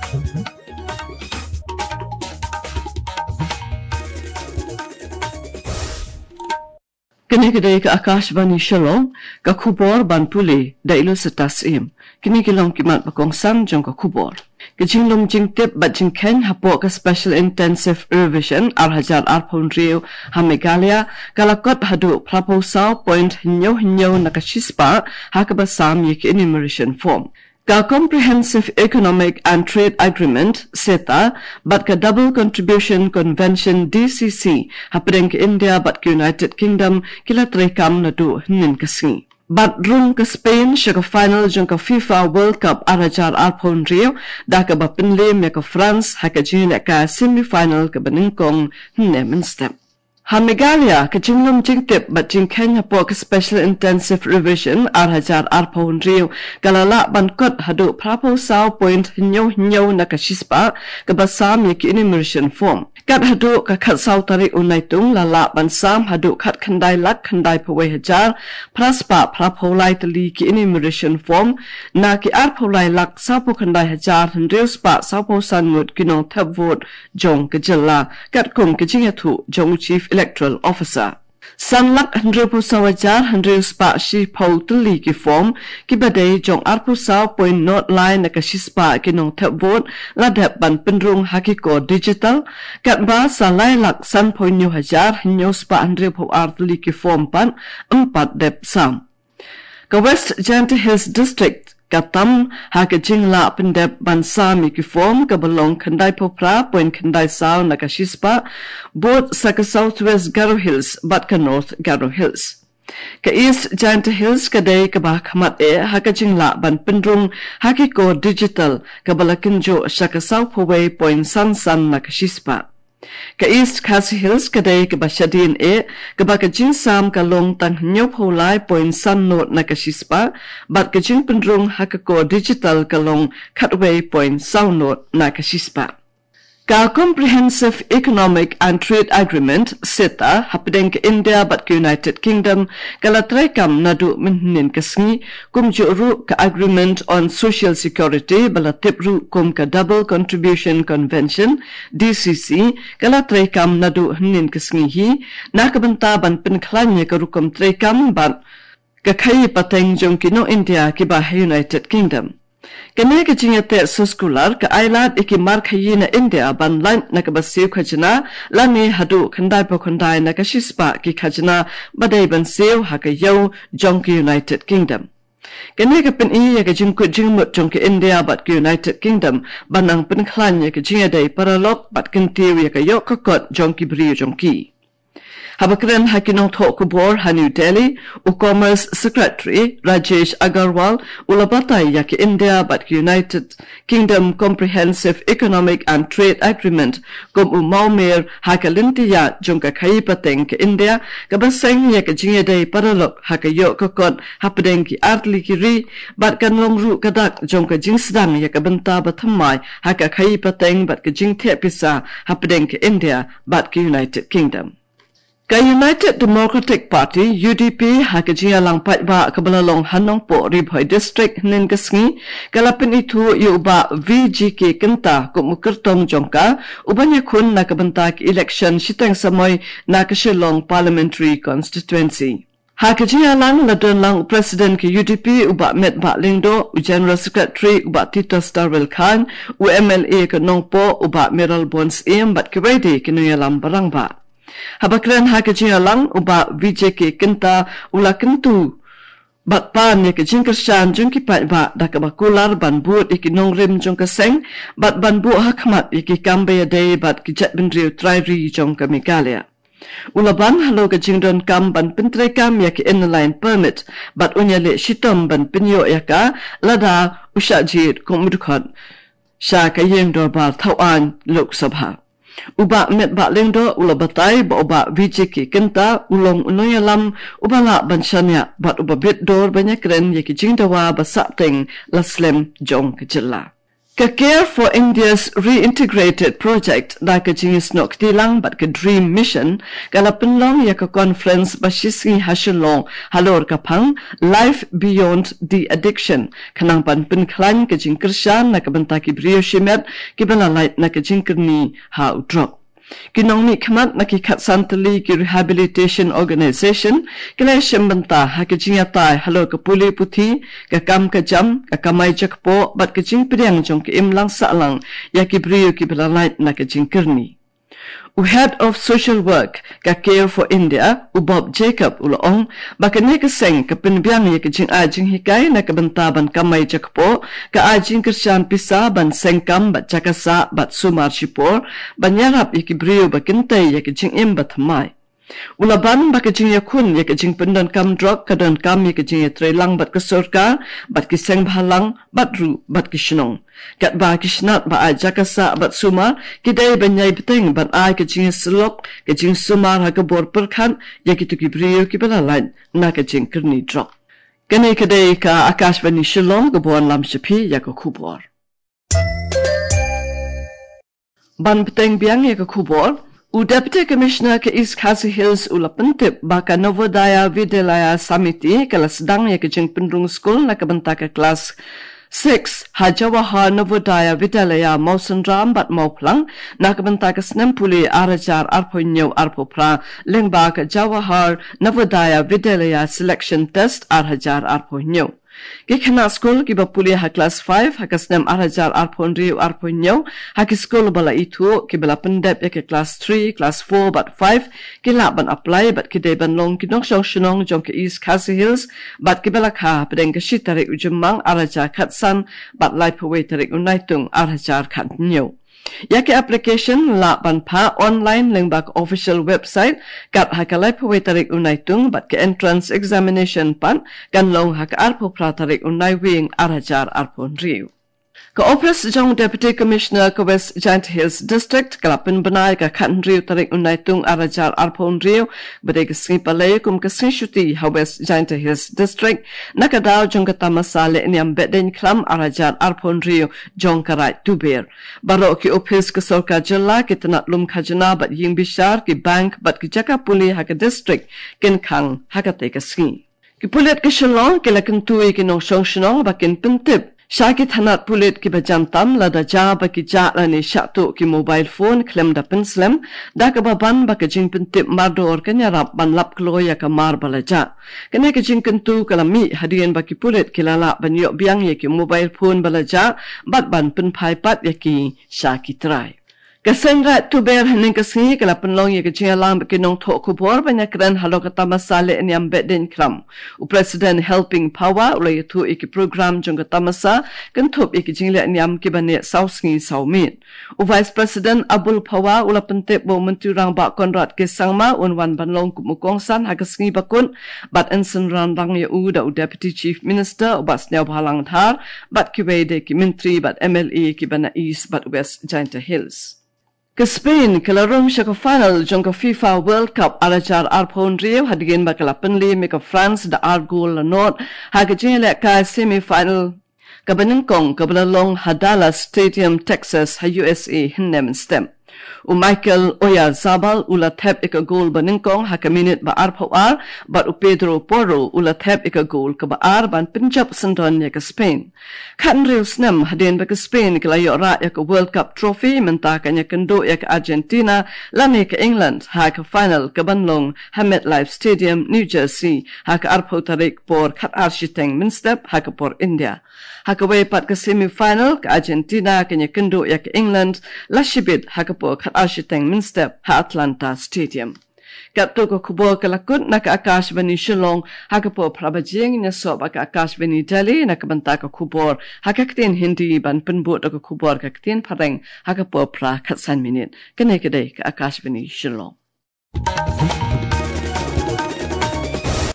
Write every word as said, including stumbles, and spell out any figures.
Kane ka dei ka Akashvani Shillong, ka khubor ban pule da i Lucetta Syiem. Kine ki long ki mat ba kongsan jong ka khubor. Ka jinglum jingtip bad jingkheiñ hapoh ka Special Intensive Revision ar hajar arphew hynriew ha Meghalaya ka la kot haduh phra phew saw point hynñiew hynñiew na ka shispah ha kaba sam ïa ki enumeration form. Ka Comprehensive Economic and Trade Agreement, CETA, bad ka Double Contribution Convention, D C C, hapdeng ka India bad ka United Kingdom ki la treikam naduh hynnin ka sngi. Bad rung ka Spain sha ka final jong ka FIFA World Cup ar hajar arphew hynriew da kaba pynliem ïa ka France ha ka jingïalehkai semi final kaba nyngkong hynne mynstep. Ha Meghalaya, ka jinglum jingtip bad jingkheiñ hapoh ka Special Intensive Revision ar hajar arphew hynriew ka la lah ban kot haduh phra phew saw point hynñiew hynñiew na ka shispah kaba sam ïa ki enumeration form. Kat haduh ka khatsaw tarik u Naitung la lah ban sam haduh khatkhyndai lak khyndai phew wei hajar phra spah phra phew lai tylli ki enumeration form na ki arphew lai lak sawphew khyndai hajar hynriew spah sawphew san ngut ki nongthep vote jong ka jylla, katkum ka jingïathuh jong u Chief Electoral Officer. San lak hynriew phew saw hajar hynriew spah shiphew tylli ki form kiba dei jong arphew saw point nod lai na ka shispah ki nongthep vote la dep ban pynrung ha ki kor digital, katba sa lai lak sanphew hynñiew hajar hynñiew spah hynriew phew ar tylli ki form pat ym pat dep sam. Ka West Jaintia Hills District ka tam ha ka jinglah pyndep ban sam ïa ki form kaba long khyndai phew phra point khyndai saw na ka shispah, bud sa ka South West Garo Hills bad ka North Garo Hills. Ka East Jaintia Hills ka dei kaba khmat eh ha ka jinglah ban pynrung ha ki kor digital kaba la kynjoh sha ka sawphew wei point san san na ka shispah. Ka East Khasi Hills ka dei kaba shadien eh, kaba ka jingsam ka long tang hynñiew phew lai point san nod na ka shispah, bad ka jingpynrung ha ka kor digital ka long khatwei point saw nod na ka shispah. Ka Comprehensive Economic and Trade Agreement, CETA, hapdeng ka India bad ka United Kingdom ka la treikam naduh mynhynnin ka sngi, kumjuh ruh ka Agreement on Social Security ba la tip ruh kum ka Double Contribution Convention, D C C, ka la treikam naduh hynnin ka sngi hi na ka bynta ban pynkhlaiñ ïa ka rukom treikam bad ka khaïi pateng jong ki nong India kiba ha United Kingdom. Kane ka jingïateh soskular ka ailad ïa ki mar khaïi na India ban lait na kaba siew khajna lane haduh khyndai phew khyndai na ka shispah ki khajna ba dei ban siew ha ka ïew jong ka United Kingdom. Kane ka pyni ïa ka jingkut jingmut jong ka India bad ka United Kingdom ban nang pynkhlaiñ ïa ka jingïadei paralok bad kyntiew ïa ka ïoh ka kot jong ki briew jong ki. Haba kren ha ki nongthoh khubor ha New Delhi, u Commerce Secretary Rajesh Agarwal u la batai ïa ka India bad ka United Kingdom Comprehensive Economic and Trade Agreement kum u mawmer ha ka lynti ïaid jong ka khaïi pateng ka India, kaba seng ïa ka jingïadei paralok ha ka ïoh ka kot hapdeng ki artylli ki ri, bad kan long ruh ka dak jong ka jingsdang ïa ka bynta ba thymmai ha ka khaïi pateng bad ka jingtheh pisa hapdeng ka India bad ka United Kingdom. Ka United Democratic Party, U D P, ha ka jingïalang paidbah kaba la long ha Nongpoh Ri Bhoi District hynnin ka sngi, ka la pynithuh ïa u Bah V G K Kynta kum u kyrtong jong ka uban ïakhun na ka bynta ka election shiteng samoi na ka Shillong Parliamentary Constituency. Ha ka jingïalang la don lang u President ka U D P u Bah Metbah Lyngdoh, u General Secretary u Bah Titos Darwell Chyne, u M L A ka Nongpoh u Bah Mayralborn Syiem bad kiwei de ki nongïalam ba rangbah. Haba kren ha ka jingïalang, u Bah V J K Kynta u la kyntu bad pan ïa ka jingkyrshan jong ki paidbah da kaba kular ban bud ïa ki nongrim jong ka seng bad ban buh ha khmat ïa ki kam ba ïadei bad ki jaitbynriew trai ri jong ka Meghalaya. U la ban halor ka jingdonkam ban pyntreikam ïa ka Inner Line Permit bad un ïaleh shitom ban pynïoh ïa ka lada u shah jied kum u dkhot sha ka ïing dorbar thawaiñ Lok Sabha. U Bah Metbah Lyngdoh u la batai ba u Bah V J K Kynta u long u nongïalam uba lah ban shaniah bad uba bit dor ban ïakren ïa ki jingdawa ba sahteng la slem jong ka jylla. Ka Care for India's Reintegrated Project da ka jingsnoh kti lang bad ka DREAM Mission ka la pynlong ïa ka conference ba shisngi ha Shillong halor ka phang Life Beyond the Addiction, khnang ban pynkhlaiñ ka jingkyrshan na ka bynta ki briew shimet kiba la lait na ka jingkyrni ha u drok. Ki nongmihkhmat na ki khatsan tylli ki rehabilitation organization ki la shim bynta ha ka jingïatai halor ka pule puthi, ka kam ka jam, ka kamai jakpoh bad ka jingpdiang jong ka imlang sahlang ïa ki briew kiba la lait na ka jingkyrni. U Head of Social Work ka Care for India, u Bob Jacob, u la ong ba kane ka seng ka pynbiang ïa ka jingai jinghikai na ka bynta ban kamai jakpoh, ka ai jingkyrshan pisa ban seng kam bad jaka sah bad sumar shipor, ban ïarap ïa ki briew ba kyntei ïa ka jingim ba thymmai. U la ban ba ka jingïakhun ïa ka jingpyndonkam drok ka donkam ïa ka jingïatreilang bad ka sorkar, bad ki seng bhalang, bad ruh bad ki shnong. Katba ki shnat ba ai jaka sah bad sumar ki dei ban ïai bteng ban ai ka jingïasyllok, ka jingsumar ha ka bor pyrkhat ïa kito ki briew kiba la lait na ka jingkyrni drok. Kane ka dei ka Akashvani Shillong kaba wanlam sha phi ïa ka khubor. Ban bteng biang ïa ka khubor, u Deputy Commissioner ka East Khasi Hills u la pyntip ba ka Navodaya Vidyalaya Samiti ka la sdang ïa ka jingpynrung skul na ka bynta ka klas six ha Jawahar Navodaya Vidyalaya Mawsynram bad Mawphlang na ka bynta ka snem pule ar hajar arphew hynñiew arphew phra, lyngba ka Jawahar Navodaya Vidyalaya Selection Test ar hajar arphew hynñiew. Ki khynnah skul kiba pule ha klas five ha ka snem ar hajar arphew hynriew arphew hynñiew ha ki skul ba la ithuh, kiba la pyndep ïa ka klas three, klas four bad five ki lah ban apply bad ki dei ban long ki nongshong shnong jong ka East Khasi Hills bad kiba la kha hapdeng ka shi tarik u Jymmang ar hajar khatsan bad laiphew wei tarik u Naitung ar hajar khathynñiew. Ïa ka application lah ban phah online lyngba ka official website kat ha ka laiphew wei tarik u Naitung bad ka entrance examination pat kan long ha ka arphew phra tarik u Naiwieng ar hajar arphew hynriew. Ka Office jong Deputy Commissioner ka West Jaintia Hills District ka la pynbna ïa ka khathynriew tarik u Naitung ar hajar arphew hynriew, ba dei ka sngi Palei kum ka sngi shuti ha West Jaintia Hills District, na ka daw jong ka tamasa lehniam Behdeiñkhlam ar hajar arphew hynriew jong ka Raid Tuber. Baroh ki ophis ka sorkar jylla, ki tnat lum khajna bad ïing bishar, ki bank bad ki jaka pule ha ka district kin khang ha katei ka sngi. Ki pulit ka Shillong ki la kyntu ïa ki nongshong shnong ba kin pyntip sha ki tnat pulit kiba jan tam lada jia ba ki jah lane shah tuh ki mobile phone khlem da pynslem, da kaba ban ba ka jingpyntip mardor kan ïarap ban lap kloi ïa ka mar ba la jah. Kane ka jingkyntu ka la mih hadien ba ki pulit ki la lah ban ïoh biang ïa ki mobile phone ba la jah bad ban pynphai pat ïa ki sha ki trai. Ka seng Raid Tuber hynne ka sngi ka la pynlong ïa ka jingïalang bad ki nongthoh khubor ban ïakren halor ka tamasa lehniam Behdeiñkhlam. U President Helping Phawa u la ïathuh ïa ki program jong ka tamasa, kynthup ïa ki jinglehniam kiba neh saw sngi saw miet. U Vice President Abul Phawa u la pyntip ba u Myntri Rangbah Conrad K Sangma un wan ban long kum u kongsan ha ka sngi bakut, bad yn synran lang ïa u da u Deputy Chief Minister u Bah Sniawbhalang Dhar bad kiwei de ki myntri bad M L A kiba na East bad West Jaintia Hills. Ka Spain ka la rung sha ka final jong ka FIFA World Cup ar hajar arphew hynriew hadien ba ka la pynliem ïa ka France da ar gol la nod ha ka jingïalehkai semi final kaba nyngkong kaba la long ha Dallas Stadium, Texas, ha U S A hynne mynstep. U Mikel Oyarzabal u la thep ïa ka gol ba nyngkong ha ka minit ba arphew ar, bad u Pedro Porro u la thep ïa ka gol kaba ar ban pynjop syndon ïa ka Spain. Khathynriew snem hadien ba ka Spain ka la ïoh rah ïa ka World Cup Trophy, mynta kan ïakynduh ïa ka Argentina lane ka England ha ka final kaban long ha MetLife Stadium, New Jersey, ha ka arphew tarik por khatar shiteng mynstep ha ka por India. Ha kawei pat ka semi final, ka Argentina kan ïakynduh ïa ka England lashibit ha ka por khatar shiteng mynstep ha Atlanta Stadium. Katto ka khubor ka la kut na ka Akashvani Shillong. Ha ka por phra baje ngin ïasoh bad ka Akashvani Delhi na ka bynta ka khubor ha ka ktien Hindi, ban pynbud da ka khubor ka ktien Phareng ha ka por phra khatsan minit. Kane ka dei ka Akashvani Shillong.